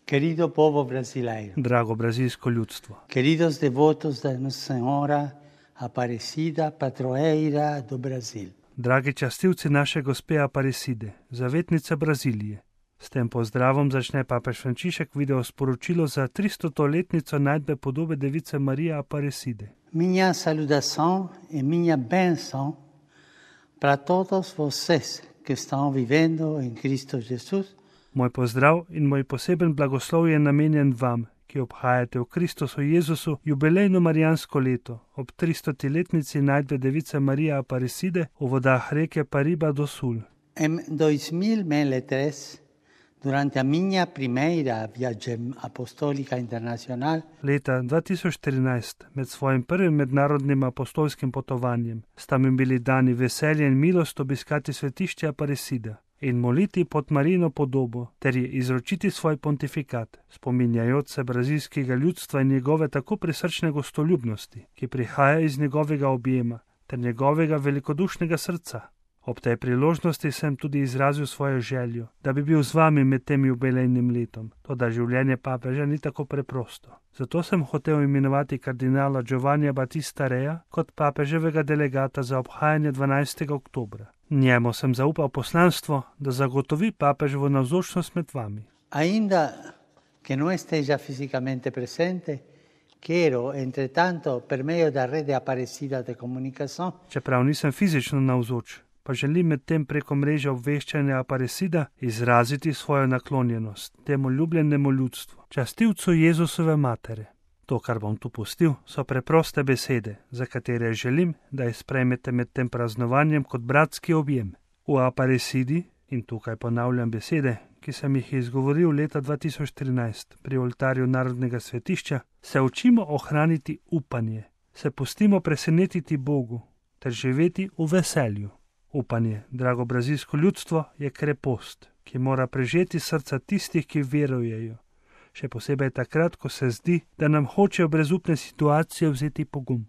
Querido povo brasileiro, Drago brazilsko ljudstvo, queridos devotos da Nossa Senhora Aparecida, padroeira do Brasil. dragi častilci naše gospe Aparecide, zavetnice Brazilije. S tem pozdravom začne papež Frančišek video sporočilo za 300-letnico najdbe podobe device Marije Aparecide. Minha saudação e minha bênção para todos vocês que estão vivendo em Cristo Jesus. Moj pozdrav in moj poseben blagoslov je namenjen vam, ki obhajate v Kristusu Jezusu jubilejno marijansko leto ob 300-letnici najdbe device Marije Aparecide v vodah reke Pariba do Sul. Em 2003, durante a minha primeira viagem apostólica internacional, Leta 2013, med svojim prvim mednarodnim apostolskim potovanjem, sta mi bili dani veselje in milost obiskati svetišče Aparecida in moliti pod Marijino podobo ter je izročiti svoj pontifikat, spominjajoč se brazilskega ljudstva in njegove tako prisrčne gostoljubnosti, ki prihaja iz njegovega objema ter njegovega velikodušnega srca. Ob tej priložnosti sem tudi izrazil svojo željo, da bi bil z vami med tem jubilejnim letom, toda življenje papeža ni tako preprosto. Zato sem hotel imenovati kardinala Giovannija Battista Reja kot papeževega delegata za obhajanje 12. oktobra. Njemu sem zaupal poslanstvo, da zagotovi papeževo navzočnost med vami. ainda que não esteja fisicamente presente, quero, entretanto, per meio da rede Aparecida de comunicação, Čeprav nisem fizično navzoč, pa želim med tem preko mreže obveščanja Aparecida izraziti svojo naklonjenost temu ljubljenemu ljudstvu, častilcu Jezusove matere. To, kar bom tu pustil, so preproste besede, za katere želim, da jih sprejmete med tem praznovanjem kot bratski objem. V Aparecidi, in tukaj ponavljam besede, ki sem jih izgovoril leta 2013 pri oltarju Narodnega svetišča, se učimo ohraniti upanje, se pustimo presenetiti Bogu ter živeti v veselju. Upanje, drago brazilsko ljudstvo, je krepost, ki mora prežeti srca tistih, ki verujejo. Še posebej takrat, ko se zdi, da nam hočejo brezupne situacije vzeti pogum.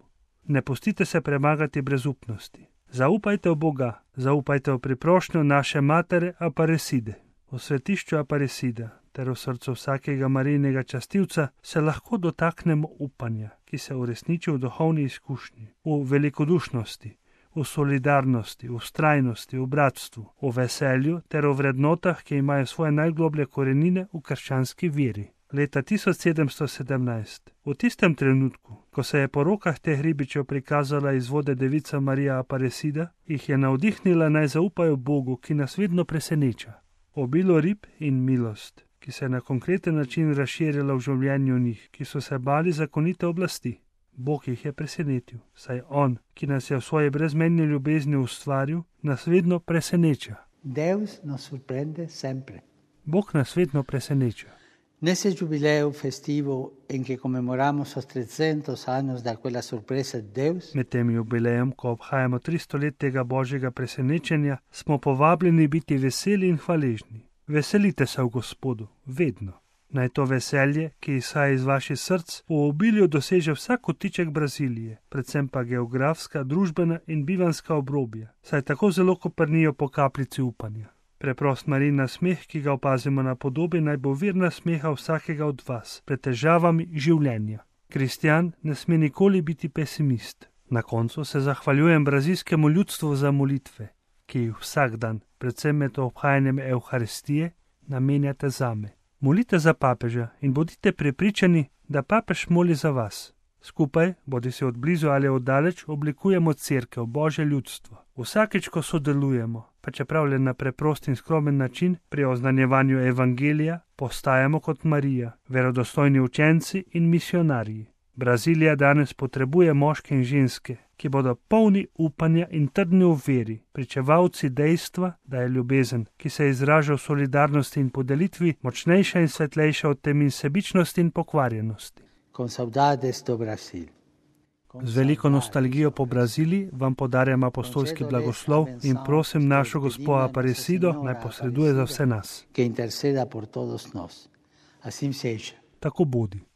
Ne pustite se premagati brezupnosti. Zaupajte v Boga, zaupajte v priprošnjo naše matere Aparecide. V svetišču Aparecida ter v srcu vsakega Marijinega častilca se lahko dotaknemo upanja, ki se uresniči v duhovni izkušnji, v velikodušnosti, v solidarnosti, v vztrajnosti, v bratstvu, v veselju ter v vrednotah, ki imajo svoje najgloblje korenine v krščanski veri. Leta 1717, v tistem trenutku, ko se je po rokah teh ribičev prikazala iz vode devica Marija Aparecida, jih je navdihnila naj zaupajo Bogu, ki nas vedno preseneča. Obilo rib in milost, ki se je na konkreten način razširila v življenju njih, ki so se bali zakonite oblasti. Bog jih je presenetil, saj On, ki nas je v svoji brezmejni ljubezni ustvaril, nas vedno preseneča. Deus nos surpreende sempre. Bog nas vedno preseneča. Nesse jubileu festivo em que comemoramos os 300 anos da quella surpresa de Deus, Med tem jubilejem, ko obhajamo 300 let tega Božjega presenečenja, smo povabljeni biti veseli in hvaležni. Veselite se v Gospodu, vedno. Naj to veselje, ki izhaja iz vaših src, v obilju doseže vsak kotiček Brazilije, predvsem pa geografska, družbena in bivanska obrobja, saj tako zelo koprnijo po kapljici upanja. Preprost Marijin nasmeh, ki ga opazimo na podobi, naj bo vir nasmeha vsakega od vas pred težavami življenja. Kristjan ne sme nikoli biti pesimist. Na koncu se zahvaljujem brazilskemu ljudstvu za molitve, ki jih vsak dan, predvsem med obhajanjem Evharistije, namenjate zame. Molite za papeža in bodite prepričani, da papež moli za vas. Skupaj, bodi se od blizu ali od daleč, oblikujemo cerkev, Božje ljudstvo. Vsakič, ko sodelujemo, pa čeprav le na preprost in skromen način, pri oznanjevanju evangelija, postajamo kot Marija, verodostojni učenci in misionarji. Brazilija danes potrebuje moške in ženske, ki bodo polni upanja in trdni v veri, pričevalci dejstva, da je ljubezen, ki se izraža v solidarnosti in podelitvi, močnejša in svetlejša od temi sebičnosti in pokvarjenosti. con saudades do Brasil. Z veliko nostalgijo po Braziliji vam podarjam apostolski blagoslov in prosim našo gospo Aparecido naj posreduje za vse nas. Que interceda por todos nós. Assim seja. Tako bodi.